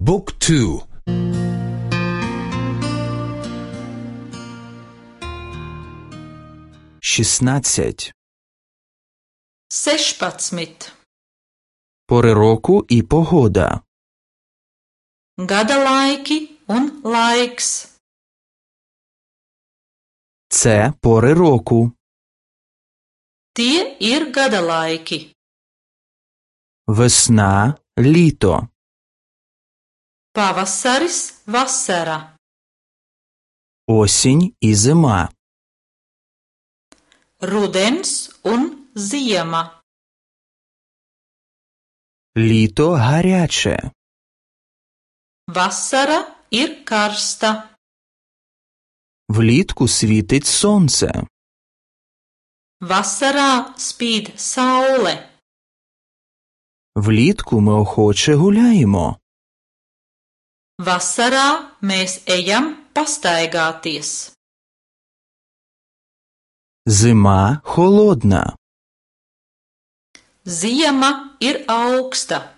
บุ๊กทู16 Пори року і погода. Gada laiki un laiks. Це пори року. Tie ir gada laiki. Весна, літо. Pavasaris, vasara. Осінь і зима. Rudens un ziema. Літо гаряче. Vasara ir karsta. Влітку світить сонце. Vasarā spīd saule. Влітку ми охоче гуляємо. Vasarā mēs ejam pastaigāties. Зима холодна. Ziema ir augsta.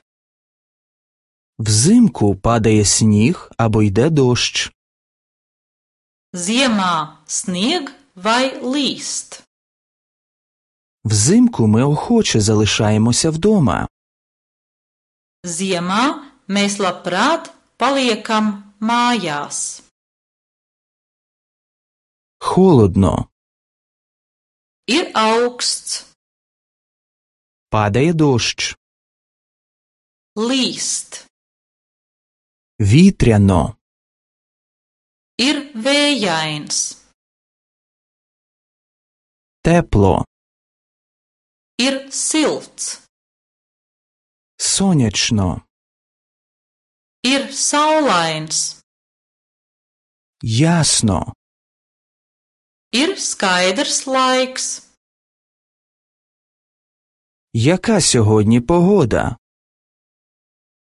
Взимку падає сніг або йде дощ. Ziemā snieg vai līst. Взимку ми охоче залишаємося вдома. Ziemā mēs labprāt paliekam mājās. Холодно. Ir augsts. Падає дощ. Līst. Вітряно. Ir vējains. Тепло. Ir silts. Сонячно. Ir saulains. Ясно. Ir skaidrs laiks. Яка сьогодні погода?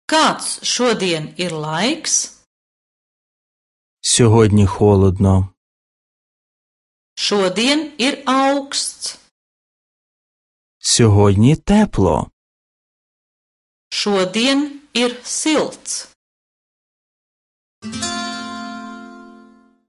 Kāds šodien ir laiks? Сьогодні холодно. Šodien ir augsts. Сьогодні тепло. Šodien ir silts.